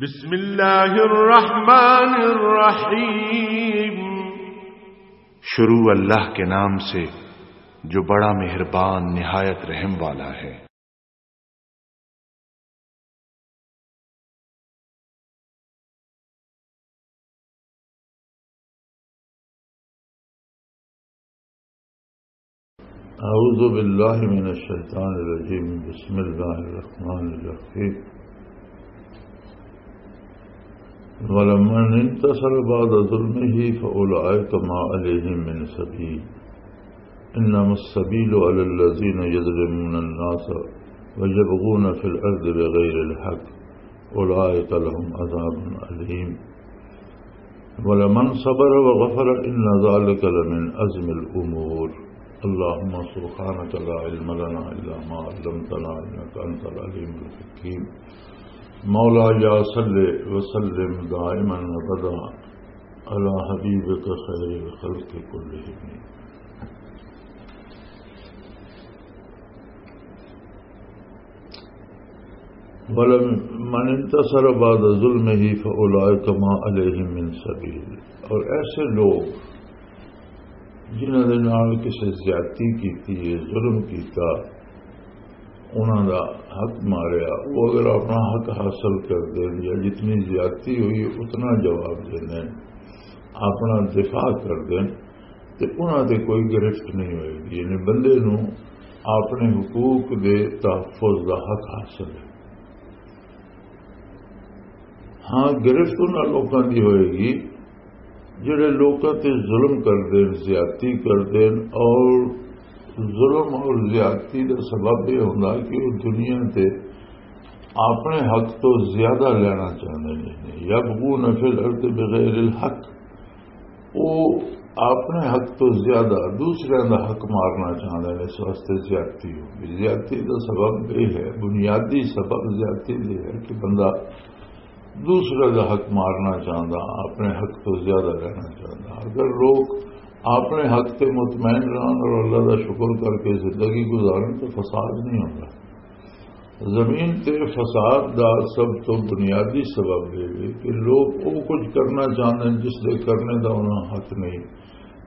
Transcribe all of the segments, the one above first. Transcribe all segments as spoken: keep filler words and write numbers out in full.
بسم اللہ الرحمن الرحیم۔ شروع اللہ کے نام سے جو بڑا مہربان نہایت رحم والا ہے۔ اعوذ باللہ من الشیطان الرجیم۔ بسم اللہ الرحمن الرحیم۔ ولمن انتصر بعد ظلمه فأولئك ما عليهم من سبيل، إنما السبيل على الذين يظلمون الناس ويبغون في الأرض بغير الحق، أولئك لهم عذاب أليم۔ ولمن صبر وغفر إن ذلك لمن عزم الأمور۔ اللهم سبحانك لا علم لنا إلا ما علمتنا إنك أنت العليم الحكيم۔ مولاي صل وسلم دائما أبدا على حبيبك خير الخلق كلهم۔ ولمن انتصر بعد ظلمه فأولئك ما عليهم من سبيل۔ اور ایسے لوگ جنہاں دے نال کسے زیادتی کیتی ہے، ظلم کیتا، انہاں دا حق ماریا، وہ اگر اپنا حق حاصل کر دین یا جتنی زیادتی ہوئی اتنا جواب دین، اپنا دفاع کر دین، تے انہاں تے کوئی گرفت نہیں ہوئے گی۔ یعنی بندے نوں اپنے حقوق دے تحفظ دا حق حاصل ہے۔ ہاں، گرفت انہاں لوکاں دی ہوئے گی جڑے لوکاں تے ظلم کر دین، زیادتی کر دین، اور ظلم اور زیادتی دا سبب یہ ہوندا کہ وہ دنیا تے اپنے حق تو زیادہ لینا چاہندے نے۔ یبغون فی الارض بغیر الحق، وہ اپنے حق تو زیادہ دوسرے دا حق مارنا چاہندے نے، اس واسطے زیادتی ہوندی۔ زیادتی دا سبب یہ ہے، بنیادی سبب زیادتی یہ ہے کہ بندہ دوسرے دا حق مارنا چاہندا، اپنے حق تو زیادہ لینا چاہندا۔ اگر لوگ اپنے حق تے مطمئن رہن اور اللہ دا شکر کر کے زندگی گزارن تو فساد نہیں ہوندا۔ زمین تے فساد دا سب تو بنیادی سبب یہ ہے کہ لوگ وہ کچھ کرنا چاہندے ہیں جس دے کرنے دا انہاں حق نہیں،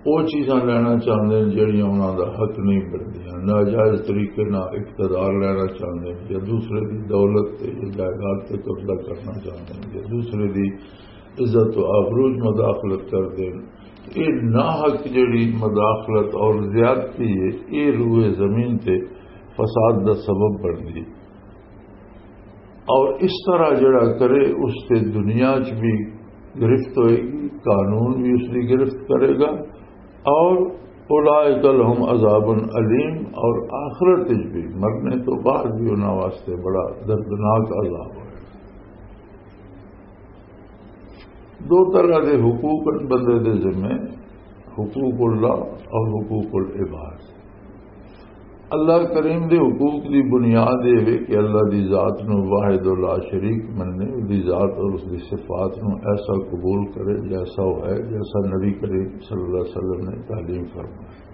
وہ چیزاں لینا چاہندے ہیں جڑیاں انہاں دا حق نہیں بنتی، ناجائز طریقے نال اقتدار لینا چاہندے ہیں، یا دوسرے دی دولت تے یا جائیداد تے قبضہ کرنا چاہندے ہیں، یا دوسرے دی عزت و آبروز مداخلت کر دین۔ یہ ناحق جڑی مداخلت اور زیادتی ہے، یہ روئے زمین تے فساد دا سبب بن گئی۔ اور اس طرح جڑا کرے، اس تے دنیا چ بھی گرفت ہوئے گی، قانون بھی اس کی گرفت کرے گا، اور اولئک لہم عذاب علیم، اور آخرت وچ بھی، مرنے تو بعد بھی انہاں واسطے بڑا دردناک عذاب ہوئے۔ دو طرح دے حقوق ہیں بندے دے ذمے، حقوق اللہ اور حقوق العباد۔ اللہ کریم دے حقوق دی بنیاد یہ ہے کہ اللہ دی ذات نو واحد و لا شریک مننے، دی ذات اور اس دی صفات نو ایسا قبول کرے جیسا وہ ہے، جیسا نبی کریم صلی اللہ علیہ وسلم نے تعلیم فرمائی۔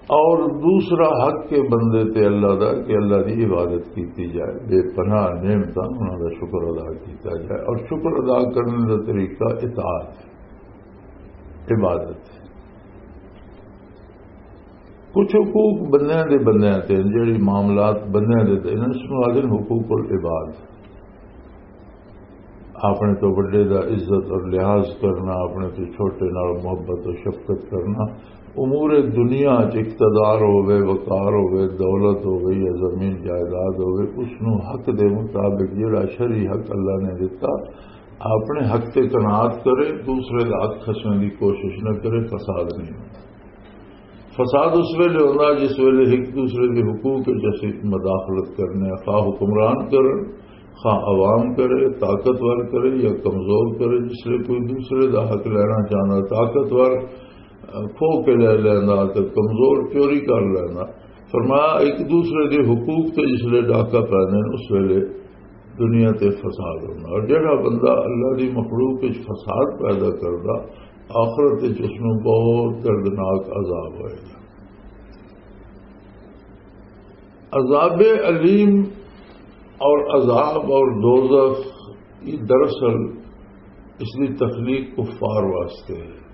اور دوسرا حق کے بندے تے اللہ دا کہ اللہ دی عبادت کیتی جائے، بے پناہ نعمتاں انہاں دا شکر ادا کیتا جائے، اور شکر ادا کرنے دا طریقہ اطاعت، عبادت۔ کچھ حقوق بندیاں دے بندیاں تے، جڑی معاملات بندیاں دے تے، انہاں نوں آکھدے نے حقوق العباد۔ اپنے تو وڈے دا عزت اور لحاظ کرنا، اپنے تو چھوٹے نال محبت اور شفقت کرنا، امور دنیا چ اقتدار ہوے، وقار ہوے، دولت ہوے یا زمین جائیداد ہوے، اس نو حق دے مطابق جڑا شرعی حق اللہ نے دتا، اپنے حق تے قناعت کرے، دوسرے دا حق کھسنے دی کوشش نہ کرے، فساد نہیں ہوندا۔ فساد اس ویلے ہوندا جس ویلے ایک دوسرے دے حقوق وچ اسی مداخلت کرنے، خواہ حکمران کرن، خواہ عوام کرے، طاقتور کرے یا کمزور کرے۔ جس لئے کوئی دوسرے دا حق لینا چاہنا، طاقتور کھو کے لے لینا تے کمزور چوری کر لینا۔ فرمایا، ایک دوسرے دے حقوق تے جس لئے ڈاکہ پیندے نے، اس ویلے دنیا تے فساد ہونا۔ اور جڑا بندہ اللہ دی مخلوق وچ فساد پیدا کردا، آخرت وچ اس نوں بہت دردناک عذاب ہوئے گا۔ عذاب علیم اور عذاب اور دوزخ، یہ دراصل اس کی تخلیق کفار واسطے ہے۔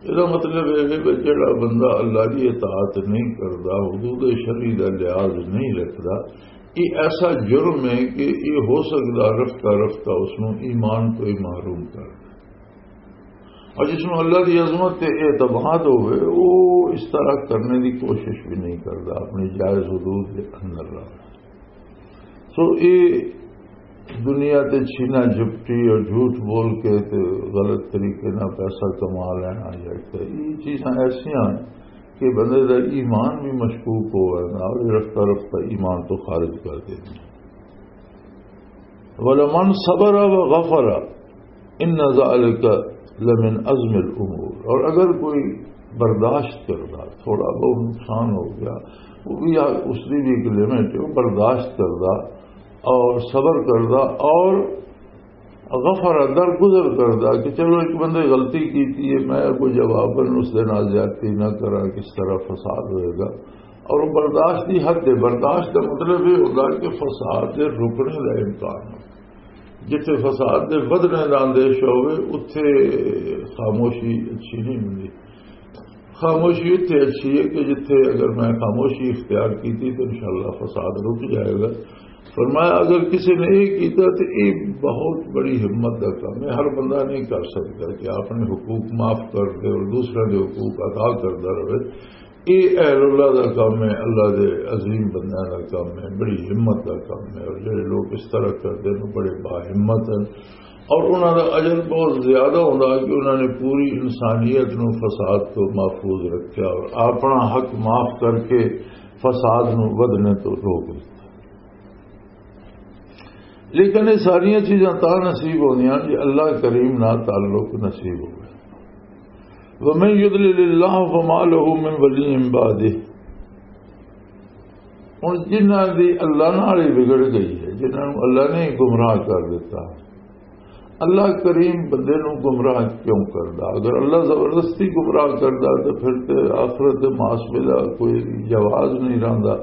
اس کا مطلب یہ ہے کہ جڑا بندہ اللہ کی اطاعت نہیں کرتا، حدود شرعی کا لحاظ نہیں رکھتا، یہ ایسا جرم ہے کہ یہ ہو سکتا رفتہ رفتہ اس نوں ایمان تو ہی محروم کر دے۔ اور جس نوں اللہ کی عظمت تے اعتماد ہوئے، وہ اس طرح کرنے کی کوشش بھی نہیں کرتا، اپنی جائز حدود کے اندر رہتا۔ سو یہ دنیا تے چھینا جھپٹی اور جھوٹ بول کے تے غلط طریقے نال پیسہ کما لینا، یا تے یہ چیزاں ایسیاں ہیں کہ بندے دا ایمان بھی مشکوک ہو جانا اور رفتہ رفتہ ایمان تو خارج کر دینا۔ ولمن صبر وغفر ان ذلک لمن عزم الامور، اور اگر کوئی برداشت کردا، تھوڑا بہت نقصان ہو گیا، وہ بھی آ-، اس کی بھی ایک لمٹ ہے، وہ برداشت کردا اور صبر کردا اور غفر، درگزر کردا کہ چلو ایک بندے غلطی کیتی ہے، میں کوئی جواباً اس دے نال زیادتی نہ کراں، کس طرح فساد ہوئے گا۔ اور وہ برداشت دی حد ہے۔ برداشت دا مطلب یہ ہوتا کہ فساد دے رکنے دا امکان ہو، جتھے فساد دے ودھنے دا اندیشہ ہوئے، اتھے خاموشی اچھی نہیں ہوندی۔ خاموشی اتھے اچھی ہے کہ جتھے اگر میں خاموشی اختیار کیتی تو انشاءاللہ فساد رک جائے گا۔ فرمایا، اگر کسی نے یہ کیتا تو یہ بہت بڑی ہمت کا کام ہے۔ ہر بندہ نہیں کر سکتا کہ اپنے حقوق معاف کر دے اور دوسرے کے حقوق ادا کرتا رہے۔ یہ اہل اللہ کا کام ہے، اللہ دے عظیم بندیاں کا کام ہے، بڑی ہمت کا کام ہے۔ اور جڑے لوگ اس طرح کرتے ہیں، بڑے باہمت ہیں۔ اور انہاں دا اجر بہت زیادہ ہوندا کہ انہاں نے پوری انسانیت نو فساد تو محفوظ رکھیا اور اپنا حق معاف کر کے فساد نو ودھنے تو روک دتا۔ لیکن یہ ساریاں چیزاں تاں نصیب ہوندیاں جے اللہ کریم نال تعلق نصیب ہوئے۔ وَمَن يُضْلِلِ اللَّهُ فَمَا لَهُ مِن وَلِيٍّ مِّن بَعْدِهِ۔ ہن جنہاں دی اللہ نال ہی بگڑ گئی ہے، جنہاں نوں اللہ نے ہی گمراہ کر دتا، اللہ کریم بندے نوں گمراہ کیوں کردا؟ اگر اللہ زبردستی گمراہ کردا تو پھر تے آخرت دے محاسبے دا کوئی جواز نہیں رہندا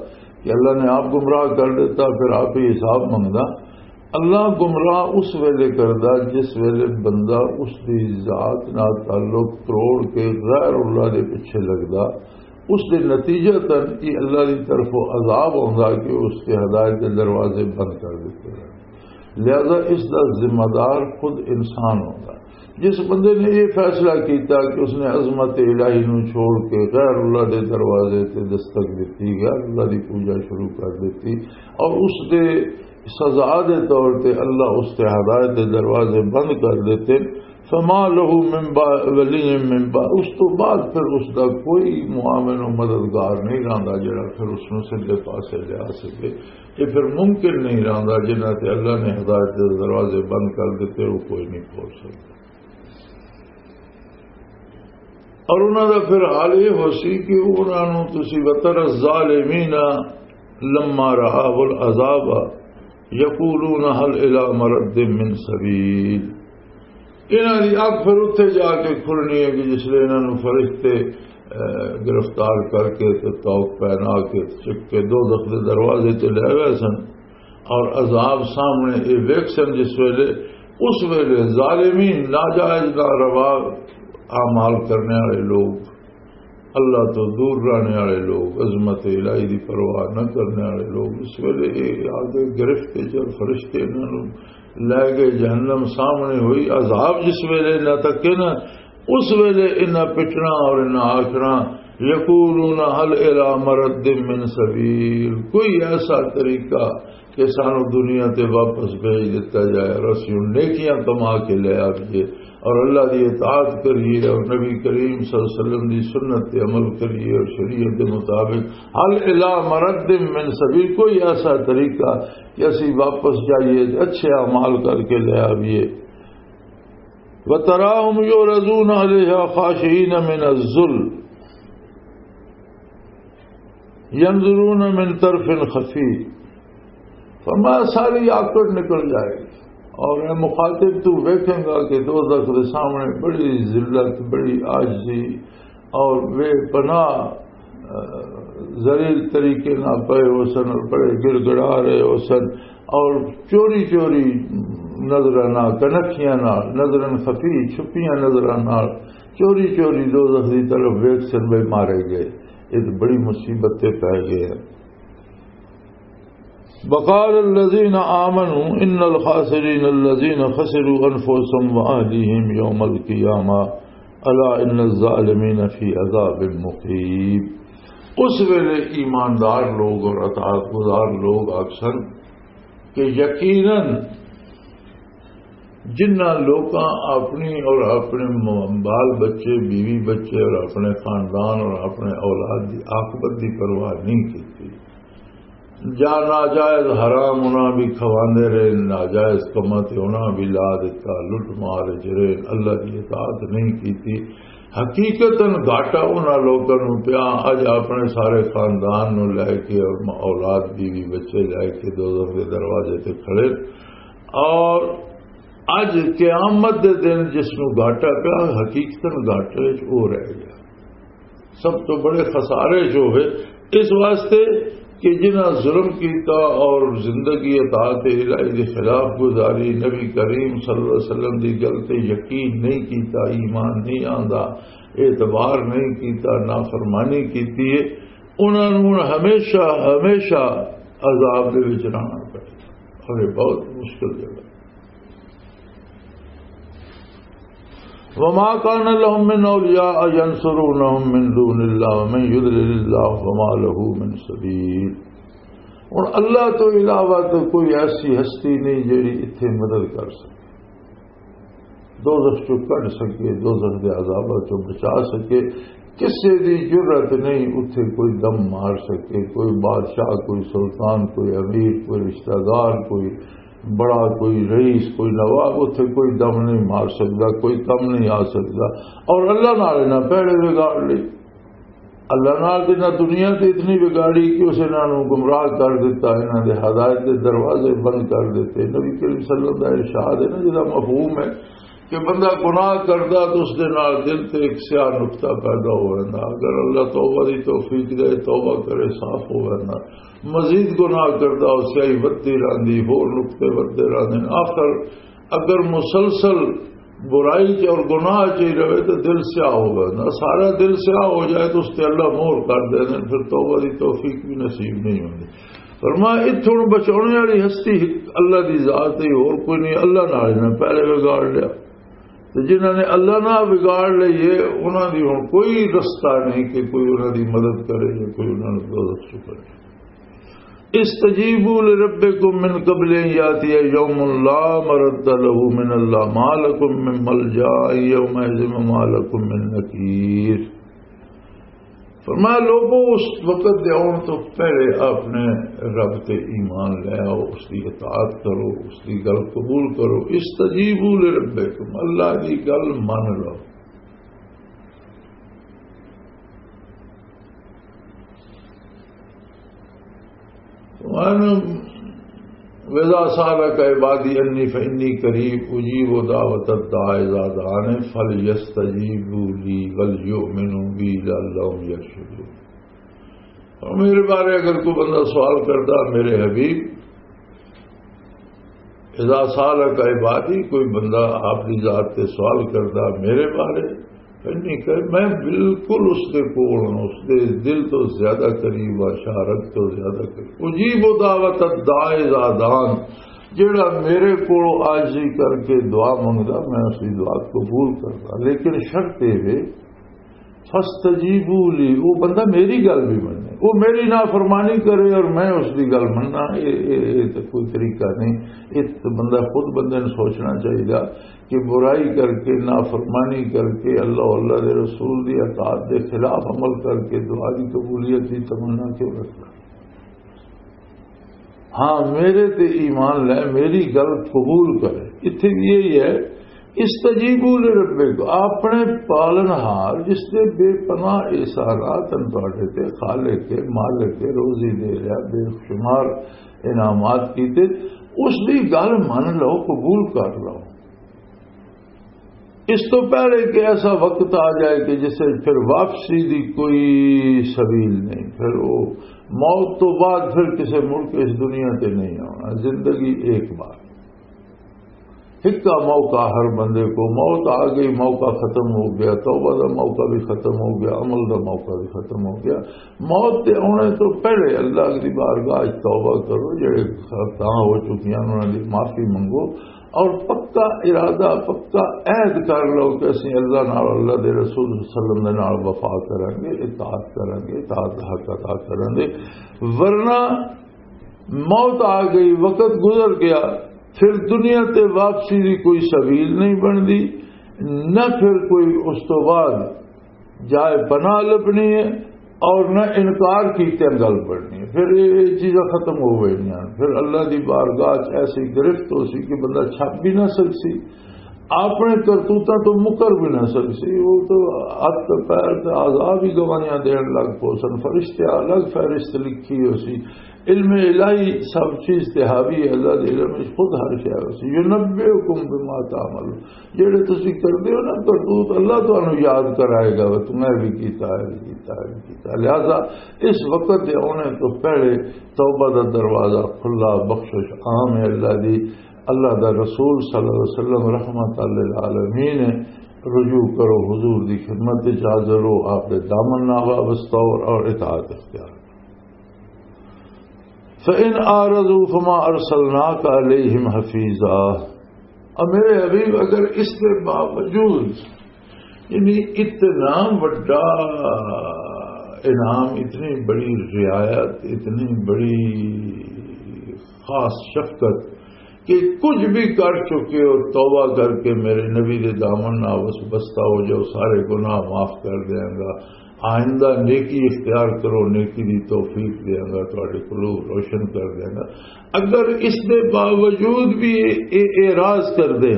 کہ اللہ نے آپ گمراہ کر دیتا، پھر آپ ہی حساب منگدا۔ اللہ گمراہ اس ویلے کردا جس ویلے بندہ اس دی ذات نال تعلق توڑ کے غیر اللہ دے پیچھے لگدا، اس دے نتیجتاً یہ اللہ دی طرفوں عذاب ہوندا کہ اس کے ہدایت دے دروازے بند کر دیتے ہیں۔ لہذا اس دا ذمہ دار خود انسان ہوندا۔ جس بندے نے یہ فیصلہ کیتا کہ اس نے عظمت الہی نو چھوڑ کے غیر اللہ دے دروازے تے دستک دیتی، غیر اللہ دی پوجا شروع کر دیتی، اور اس دے سزا دے طور تے اللہ اس تے ہدایت دے دروازے بند کر دیتے، فما لہ من با-، ولی من با-، اس تو بعد پھر اس دا کوئی معاون و مددگار نہیں رہندا جڑا پھر اس نو سیدھے پاسے لیا سکے۔ یہ پھر ممکن نہیں رہندا، جنہاں تے اللہ نے ہدایت دے دروازے بند کر دیتے، وہ کوئی نہیں کھول سکتا۔ اور انہاں دا پھر حال یہ ہو سی کہ انہاں نوں تسی وتر الظالمین لما رأوا العذاب یقولون هل الی مرد من سبیل۔ انہاں دی اکھ پھر اتھے جا کے کھلنی ہے کہ جس لے انہاں نوں فرشتے، اے، گرفتار کر کے تے طوق پہنا کے چک کے دوزخ دے دروازے تے لے گئے سن اور عذاب سامنے اے ویکھ سن جس ویلے، اس ویلے ظالمین، ناجائز ناروا اعمال کرنے والے لوگ، اللہ تو دور رہنے والے لوگ، عظمت الہی دی پرواہ نہ کرنے والے لوگ، اس ویلے یہ آ کے گرفت وچ اور فرشتے انہاں نوں لے گئے، جہنم سامنے ہوئی، عذاب جس ویلے انہاں تک ہے نا، اس ویلے انہاں پٹنا اور انہاں آخنا، یقولون هل الی مرد من سبیل، کوئی ایسا طریقہ کہ سانو دنیا تے واپس بھیج دتا جائے اور اسی ہن نیکیاں کما کے لے آئیے اور اللہ دی اطاعت کریے اور نبی کریم صلی اللہ علیہ وسلم دی سنت تے عمل کریے اور شریعت دے مطابق، هل الی مرد من سبیل، کوئی ایسا طریقہ کہ اسی واپس جائیے، اچھے اعمال کر کے لے آئیے۔ وتراهم يعرضون عليها خاشعين من الذل ينظرون من طرف خفي۔ فرمایا، ساری آکڑ نکل جائے گی اور اے مخاطب، تو ویکھیں گا کہ دوزخ دے سامنے بڑی ذلت، بڑی عاجزی اور بے پناہ ذلیل طریقے نال پئے ہو سن اور بڑے گڑگڑا رہے ہو سن، اور چوری چوری نظراں نال، کنکھیاں نال، نظراں خفی، چھپیاں نظراں نال چوری چوری دوزخ دی طرف ویکھ سن، بے مارے گئے۔ یہ تو بڑی مصیبت تے پے گئے ہیں۔ وقال الذين آمنوا ان الخاسرين الذين خسروا انفسهم واهليهم يوم القيامة الا ان الظالمين في عذاب مقيم۔ اس ویلے ایماندار لوگ اور اطاعت گزار لوگ آکھسن کہ یقیناً جنہاں لوکاں اپنی اور اپنے م-، بال بچے، بیوی بچے اور اپنے خاندان اور اپنے اولاد دی عاقبت دی پرواہ نہیں کیتی، جا ناجائز حرام انہاں بھی کھواندے رہے، ناجائز کماں تے انہاں بھی لا دتا، لٹ مار وچ رہے، اللہ دی اطاعت نہیں کیتی۔ حقیقتاً گھاٹا انہاں لوکاں نوں پیا، اج اپنے سارے خاندان نوں لے کے اور م-، اولاد، بیوی، بچے لے کے دوزخ دے دروازے تے کھڑے۔ اور اج قیامت دے دن جس نوں گھاٹا پیا، حقیقتاً گھاٹے وچ او رہ گیا، سب تو بڑے خسارے جو ہوئے، اس واسطے کہ جنہاں ظلم کیتا اور زندگی اطاعت الہی دے خلاف گزاری، نبی کریم صلی اللہ علیہ وسلم دی گل تے یقین نہیں کیتا، ایمان نہیں آندا، اعتبار نہیں کیتا، نافرمانی کیتی ہے، انہاں نوں ہن ہمیشہ، ہمیشہ عذاب دے وچ رہنا پے۔ اور یہ بہت مشکل جگہ۔ وما كان لهم من أولياء ينصرونهم من دون الله ومن يضلل الله فما له من سبيل۔ اور اللہ تو علاوہ تو کوئی ایسی ہستی نہیں جڑی اتھے مدد کر سکے، دوزخ چوں کڈ سکے، دوزخ دے عذاباں چوں بچا سکے۔ کسے دی جرأت نہیں اتھے کوئی دم مار سکے، کوئی بادشاہ، کوئی سلطان، کوئی امیر، کوئی رشتہ دار، کوئی بڑا، کوئی رئیس، کوئی نواب اتھے کوئی دم نہیں مار سکدا، کوئی کم نہیں آ سکدا۔ اور اللہ نال انہاں پہلے وگاڑ لئی۔ اللہ نال تے انہاں دنیا تے اتنی وگاڑی کہ اس انہاں نوں گمراہ کر دتا، انہاں دے ہدایت دے دروازے بند کر دتے۔ نبی کریم صلی اللہ علیہ وسلم دا ارشاد ہے نا، جدا مفہوم ہے کہ بندہ گناہ کردا تو اس دے نال دل تے ایک سیاہ نقطہ پیدا ہو ویندا۔ اگر اللہ توبہ دی توفیق دے، توبہ کرے، صاف ہو ویندا۔ مزید گناہ کردا، او سیاہی ودھدی رہندی، ہور نقطے ودھدے رہندے نے۔ آخر اگر مسلسل برائی چ اور گناہ چ ہی رہے تو دل سیاہ ہو ویندا۔ سارا دل سیاہ ہو جائے تو اس تے اللہ مہر کر دے دے، پھر توبہ دی توفیق بھی نصیب نہیں ہوندی۔ فرمایا، اتھوں بچاؤنے والی ہستی اللہ دی ذات ہی، اور کوئی نہیں۔ اللہ نال انہاں پہلے وگاڑ لیا۔ تے جنہاں نے اللہ نال وگاڑ لئیے، انہاں دی ہن کوئی رستہ نہیں کہ کوئی انہاں دی مدد کرے یا کوئی انہاں نوں دوزخ چوں کرے۔ استجیبوا لربکم من قبل ان یاتی یوم لا مرد له من اللہ ما لکم من ملجا یومئذ وما لکم من نکیر۔ فرمایا، لوگو، اس وقت دے آن تو پہلے اپنے رب تے ایمان لے آؤ، اس دی اطاعت کرو، اس دی گل قبول کرو۔ استجیبوا لربکم، اللہ دی گل من لو۔ وَإِذَا سَأَلَكَ عِبَادِي عَنِّي فَإِنِّي قَرِيبٌ أُجِيبُ دَعْوَةَ الدَّاعِ إِذَا دَعَانِ فَلْيَسْتَجِيبُوا لِي وَلْيُؤْمِنُوا بِي لَعَلَّهُمْ يَرْشُدُونَ۔ اور میرے بارے اگر کوئی بندہ سوال کرتا، میرے حبیب، اذا سالک عبادی، کوئی بندہ آپ دی ذات تے سوال کردا میرے بارے، فإنّی، کہ میں بالکل اس دے کول ہاں، اس دے دل تو زیادہ قریب ہاں، شارک تو زیادہ قریب۔ اجیب دعوت الداع اذا دعان، جیڑا میرے کول عاجزی کر کے دعا منگدا، میں اس دی دعا قبول کردا، لیکن شرط یہ ہے، فاستجیبوا لی، وہ بندہ میری گل بھی منے، وہ میری نافرمانی کرے اور میں اس دی گل مننا، اے، اے، اے تے کوئی طریقہ نہیں۔ یہ تے بندہ خود بندے نوں سوچنا چاہیے کہ برائی کر کے، نافرمانی کر کے، اللہ، اللہ دے رسول دی اطاعت دے خلاف عمل کر کے دعا دی قبولیت دی تمنا کیوں رکھنا؟ ہاں، میرے تے ایمان لے، میری گل قبول کرے۔ اتھے بھی یہی ہے، استجیبوا لربکم، اپنے پالنہار جس دے بے پناہ احسانات ہیں تواڈے تے، خالق ہے، مالک ہے، روزی دے رہا، بے شمار انعامات کیتے، اس دی گل من لو، قبول کر لو۔ اس تو پہلے کہ ایسا وقت آ جائے کہ جس سے پھر واپسی دی کوئی سبیل نہیں، پھر وہ موت تو بعد پھر کسی مڑ کے اس دنیا تے نہیں آنا۔ زندگی ایک بار، ہکا موقع ہر بندے کو، موت آ گئی، موقع ختم ہو گیا، توبہ دا موقع بھی ختم ہو گیا، عمل دا موقع بھی ختم ہو گیا۔ موت تے آنے تو پہلے اللہ دی بارگاہ وچ توبہ کرو، جڑے خطائیں ہو چکیاں انہاں دی معافی منگو، اور پکا ارادہ، پکا عہد کر لو کہ اسی اللہ نال، اللہ دے رسول صلی اللہ علیہ وسلم دے نال وفا کریں گے، اطاعت کریں گے، اطاعت دا حق ادا کریں گے۔ ورنہ موت آ گئی، وقت گزر گیا، پھر دنیا تے واپسی دی کوئی سبیل نہیں بندی، نہ پھر کوئی اس تو بعد جائے پناہ لبنی ہے، اور نہ انکار کیتے گل بڑنی ہے۔ پھر یہ چیزاں ختم ہو گئی ہیں۔ پھر اللہ دی بارگاہ چ ایسی گرفت ہو سی کہ بندہ چھپ بھی نہ سکسی، اپنے کرتوتاں تو مکر بھی نہ سکسی۔ وہ تو ہاتھ تے پیر تے اعضاء بھی گواہیاں دین لگ پو سن، فرشتے الگ فہرست لکھی ہو سی۔ علم الہی سب چیز تے حاوی ہے، اللہ دے علم وچ خود ہر شے ہو سی۔ یونبئکم بما تعملون، جڑے تسی کردے ہو نا کرتوت، اللہ تانوں یاد کرائے گا، "وہ تم نے بھی کیتا ہے، بھی کیتا ہے، بھی کیتا ہے۔" لہذا اس وقت دے آنے تو پہلے توبہ دا دروازہ کھلا، بخشش عام ہے اللہ دی۔ اللہ دا رسول صلی اللہ علیہ وسلم رحمت للعالمین ہے۔ رجوع کرو، حضور دی خدمت وچ حاضر ہو، آپ دے دامن نہ وابستہ ہو اور اطاعت اختیار کرو۔ فَإِنْ أَعْرَضُوا فَمَا أَرْسَلْنَاكَ عَلَيْهِمْ حَفِيظًا۔ اور میرے حبیب، اگر اس کے باوجود، یعنی اتنا بڑا انعام، اتنی بڑی رعایت، اتنی بڑی خاص شفقت کہ کچھ بھی کر چکے ہو، توبہ کر کے میرے نبی دے دامن نال بس بستہ ہو جاؤ، سارے گناہ معاف کر دیاں گا، آئندہ نیکی اختیار کرو، نیکی دی توفیق دیاں گا، تہاڈے قلوب روشن کر دیاں گا۔ اگر اس دے باوجود بھی یہ اعراض کر دے،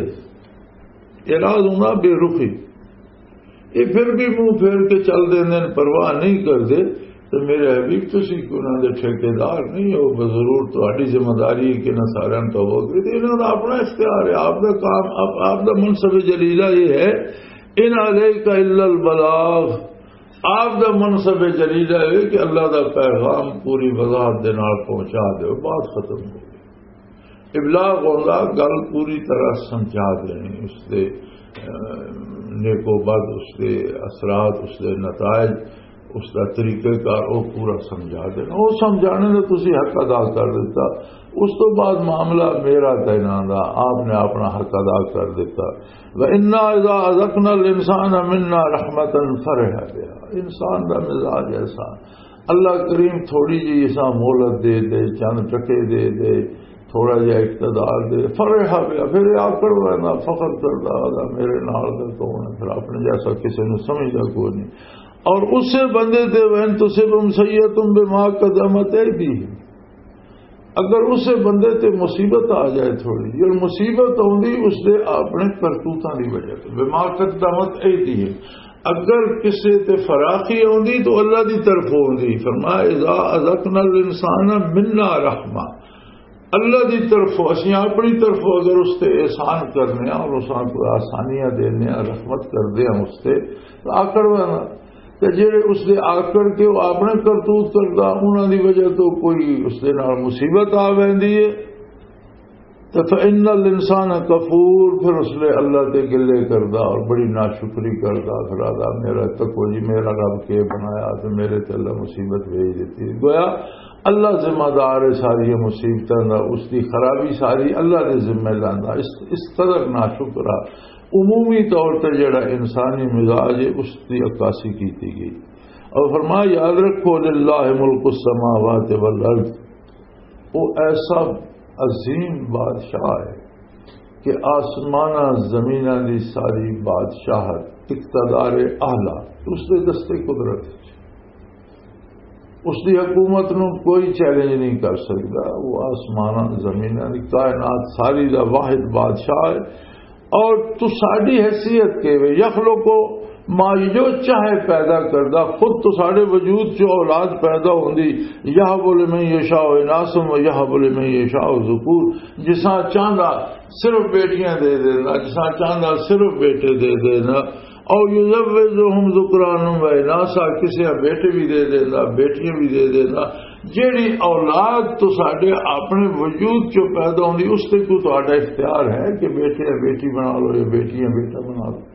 اعراض ہونا بے رخی، یہ پھر بھی منہ پھیر کے چل دے، پرواہ نہیں کردے، تو میرے حبیب، تسی کوئی انہاں دے ٹھیکیدار نہیں ہو، بضرور تہاڈی ذمہ داری ہے کہ انہاں سارے توبہ کرے۔ تے انہاں دا اپنا اختیار ہے، آپ دا کام، آپ، آپ دا منصب جلیلہ یہ ہے، "ان علیک الا البلاغ"۔ آپ دا منصب جلیلہ ہے کہ اللہ دا پیغام پوری وضاحت دے نال پہنچا دے، بات ختم ہو گئی۔ ابلاغ ہوندا گل پوری طرح سمجھا دینی، اس دے، اہ، نیک و بد، اس دے اثرات، اس دے نتائج، اس دا طریقہ کار، وہ پورا سمجھا دینا۔ وہ سمجھانے دا تسی حق ادا کر دیتا، اس تو بعد معاملہ میرا تے انہاں دا، آپ نے اپنا حق ادا کر دیتا۔ وَإِنَّا إِذَا أَذَقْنَا الْإِنسَانَ مِنَّا رَحْمَةً فَرِحَ بِهَا۔ انسان دا مزاج ایسا، اللہ کریم تھوڑی جی اساں مہلت دے دے، چند ٹکے دے دے، تھوڑا جہا اقتدار دے، فرح بیا، پھر یہ آکڑ رہنا، فخر کردا، "آ میرے نال دا کون ہے؟" پھر اپنے جیسا کسی نوں سمجھدا کوئی نہیں۔ اور اسے بندے تے، "وَإِن تُصِبْهُمْ سَيِّئَةٌ بِمَا قَدَّمَتْ أَيْدِيهِمْ"، اگر اسے بندے تے مصیبت آ جائے تھوڑی، یہ مصیبت آندی اس دے اپنے کرتوتاں دی وجہ تے، "بِمَا قَدَّمَتْ أَيْدِيهِمْ"، اگر کسے تے فراخی آندی تو اللہ دی طرف آندی۔ فرمایا، "إِذَا أَذَقْنَا الْإِنسَانَ مِنَّا رَحْمَةً"، اللہ دی طرف، اسی اپنی طرف اگر اس تے احسان کرنے ہیں اور اس کو آسانیاں دینے ہیں، رحمت کر دے ہیں اس تے، تو آکڑ والا۔ تے جڑے اس دے آکڑ کے وہ اپنے کرتوت کردا، انہاں دی وجہ تو کوئی اس دے نال مصیبت آ ویندی ہے، تو فإن الانسان کفور، پھر اس نے اللہ تے گلے کردا اور بڑی ناشکری کردا، پھر آدا، "میرا تکو جی، میرا رب کے بنایا تے میرے تے اللہ مصیبت بھیج دیتی۔" گویا اللہ ذمہ دار ہے ساری مصیبتاں دا، اس دی خرابی ساری اللہ دے ذمہ لاندا۔ اس، اس قدر ناشکرا عمومی طور تے جڑا انسانی مزاج ہے، اس دی عکاسی کیتی گئی۔ اور فرمایا، یاد رکھو، للہ ملک السماوات والارض، وہ ایسا عظیم بادشاہ ہے کہ آسماناں زمیناں دی ساری بادشاہت، اقتدار اعلیٰ اس دے دستے قدرت وچ۔ اس دی حکومت نوں کوئی چیلنج نہیں کر سکدا۔ وہ آسماناں زمیناں دی کائنات ساری دا واحد بادشاہ ہے۔ اور تو ساری حیثیت کے وے، یخلق ماں جو چاہے پیدا کردا، خود تو ساڈے وجود چ اولاد پیدا ہوندی۔ یہب لمن یشاء اناثا و یہب لمن یشاء ذکور۔ جساں چاہندا صرف بیٹیاں دے دیندا، جساں چاہندا صرف بیٹے دے دیندا۔ او یزوجہم ذکرانا و اناثا، کسے بیٹے بھی دے دیندا، بیٹیاں بھی دے دیندا۔ جیڑی اولاد تو ساڈے اپنے وجود چ پیدا ہوندی، اس تے کوئی تہاڈا اختیار ہے کہ بیٹے بیٹی بنا لو یا بیٹیاں بیٹا بنا لو؟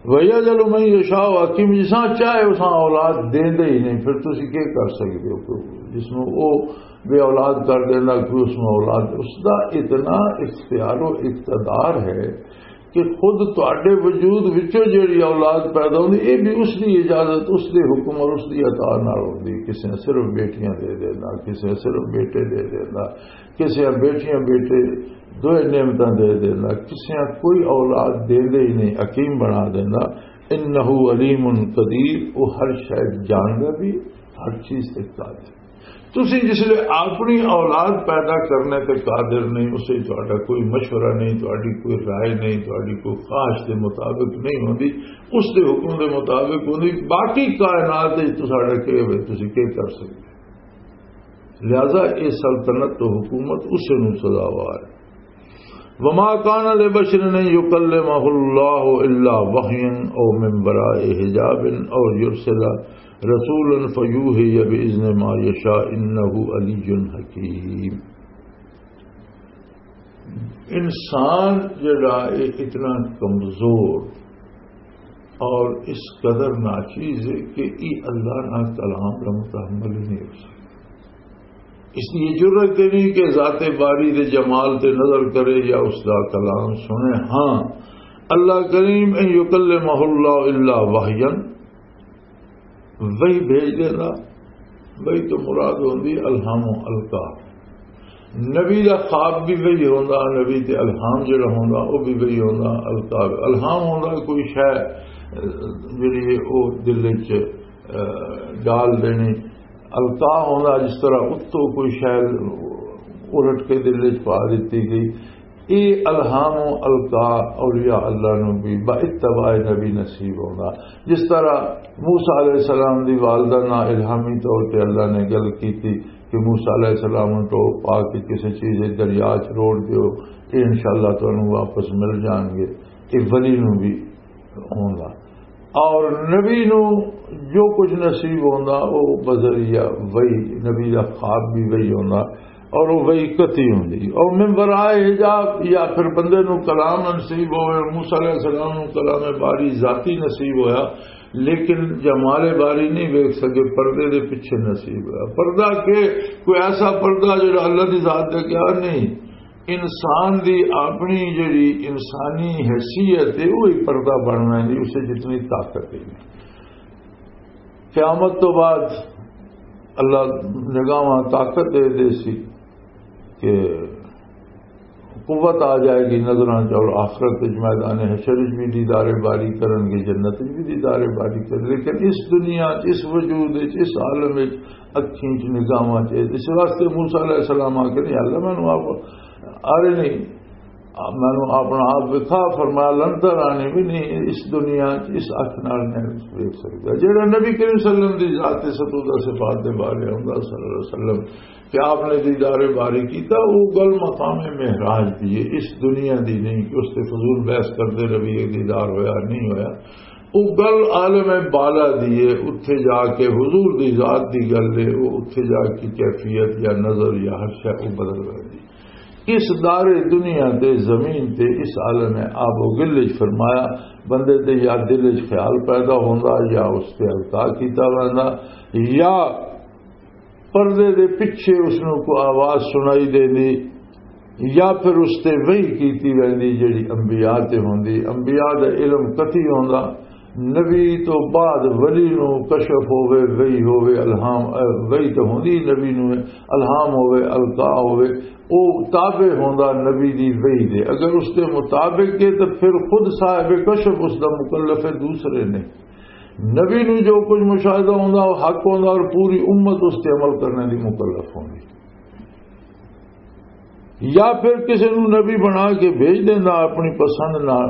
وَيَجْعَلُ مَن يَشَاءُ عَقِيمًا، جساں چاہے اساں اولاد دیندے ہی نہیں، پھر تسی کی کر سکدے ہو؟ کوئی جس نوں او بے اولاد کر دینا، کوئی اس نوں اولاد، اس دا اتنا اختیار و اقتدار ہے کہ خود تواڈے وجود وچوں جیڑی اولاد پیدا ہوندی، اے بھی اس دی اجازت، اس دے حکم اور اس دی عطا نال ہوندی۔ کسے صرف بیٹیاں دے دینا، کسے صرف بیٹے دے دینا، کسے بیٹیاں بیٹے دوئے نعمتاں دے دینا، کسے کوئی اولاد دیندے ہی نہیں، حکیم بنا دینا۔ انہ علیم قدیر، وہ ہر شے جاندا بھی، ہر چیز تے قادر۔ تسی جس لے اپنی اولاد پیدا کرنے تے قادر نہیں، اسے تہاڈا کوئی مشورہ نہیں، تہاڈی کوئی رائے نہیں، تہاڈی کوئی خواہش دے مطابق نہیں ہوندی، اس دے حکم دے مطابق ہوندی۔ باقی کائنات وچ تساڈا کی ہوئے، تسی کی کر سکدے؟ لہذا یہ سلطنت تو حکومت اسے نوں سزاوار ہے۔ وما كان لبشر أن يكلمه الله إلا وحيا أو من وراء حجاب أو يرسل رسولا فيوحي بإذنه ما يشاء إنه علي حكيم۔ انسان جڑا ہے اتنا کمزور اور اس قدر ناچیز ہے کہ یہ اللہ نہ کلام کا متحمل ہی نہیں ہو سکتا۔ اس لیے جرأت نہیں کہ ذات باری دے جمال تے نظر کرے یا اس دا کلام سنے۔ ہاں، اللہ کریم ان یکلمہ اللہ الا وحیا، وحی بھیج دینا۔ وحی تو مراد ہوندی الہام و القا۔ نبی دا خواب بھی وحی ہوندا، نبی تے الہام جڑا ہوندا، او بھی وحی ہوندا۔ القا، الہام ہوندا کوئی شے، اہ، جڑی ہے او دل وچ، اہ، ڈال دینی۔ القا ہوندا جس طرح اتوں کوئی شے الٹ کے دل وچ پا دتی گئی۔ اے الہام و القا اولیاء اللہ نو بھی با اتباع نبی نصیب ہوندا۔ جس طرح موسیٰ علیہ السلام دی والدہ نال الہامی طور تے اللہ نے گل کیتی کہ موسیٰ علیہ السلام نوں ٹوپ پا کے کسی چیز دے دریا چ روڑ دیو، اے انشاءاللہ تانوں واپس مل جان گے۔ اے ولی نوں بھی ہوندا۔ اور نبی نوں جو کچھ نصیب ہوندا، او بذریعہ وحی، نبی دا خواب بھی وحی ہوندا، اور وہ وحی قطعی ہوندی۔ اور من ورائے حجاب، یا پھر بندے نوں کلام نصیب ہوئے، موسیٰ علیہ السلام نوں کلام باری ذاتی نصیب ہویا، لیکن جمال باری نہیں ویکھ سکے، پردے دے پیچھے نصیب ہویا۔ پردہ کہ کوئی ایسا پردہ جڑا اللہ دی ذات دے کیا نہیں، انسان دی اپنی جڑی انسانی حیثیت ہے، وہی پردہ بننا ہے، اسے جتنی طاقت ہے۔ قیامت تو بعد اللہ نگاہاں طاقت دے دے سی کہ قوت آ جائے گی نظراں چ، اور آخرت وچ میدان حشر وچ بھی دیدار باری کرن گے، جنت وچ بھی دیدار باری کرن۔ لیکن اس دنیا، اس وجود وچ، اس عالم وچ اکھیں چ نگاہاں چ۔ اس واسطے موسیٰ علیہ السلام آ کے، "نہیں اللہ، مینوں آپ آرے نہیں، مینوں اپنا آپ وکھا۔" فرمایا، "لن ترانی بھی نہیں، اس دنیا چ اس اکھ نال نہیں ویکھ سکدا۔" جڑا نبی کریم صلی اللہ علیہ وسلم دی ذات ستودہ صفات دے بارے ہوندا صلی اللہ علیہ وسلم کہ آپ نے دیدار باری کیتا، وہ گل مقام معراج دی ہے، اس دنیا دی نہیں کہ اس تے فضول بحث کردے رہیے، دیدار ہویا نہیں ہویا۔ او گل عالم بالا دی ہے، اتھے جا کے حضور دی ذات دی گل ہے، او اتھے جا کے کیفیت یا نظر یا ہر شے او بدل ویندی۔ اس دار دنیا تے زمین تے اس عالم آب و گل وچ فرمایا، بندے دے یا دل وچ خیال پیدا ہوندا یا اس تے القا کیتا ویندا، یا پردے دے پچھے اس نوں کوئی آواز سنائی دیندی، یا پھر اس تے وحی کیتی ویندی جڑی انبیاء تے ہوندی۔ انبیاء دا علم قطعی ہوندا، نبی تو بعد ولی نوں کشف ہووے، وحی ہووے، الہام، اے، وحی تے ہوندی نبی نوں، الہام ہووے، القا ہووے، او تابع ہوندا نبی دی وحی دے۔ اگر اس دے مطابق ہے تو پھر خود صاحب کشف اس دا مکلف ہے، دوسرے نہیں۔ نبی نوں جو کچھ مشاہدہ ہوندا، وہ حق ہوندا اور پوری امت اس تے عمل کرنے دی مکلف ہوندی۔ یا پھر کسی نوں نبی بنا کے بھیج دیندا اپنی پسند نال،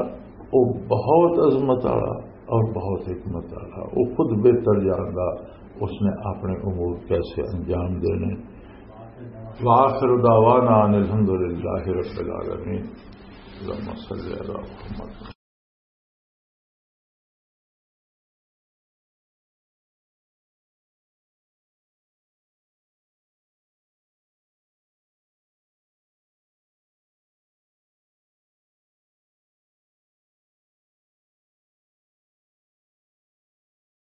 وہ بہت عظمت والا اور بہت حکمت والا، وہ خود بہتر جاندا اس نے اپنے امور کیسے انجام دینے۔ وآخر دعوانا ان الحمد للہ رب العالمین۔ اللہم صلی علی محمد۔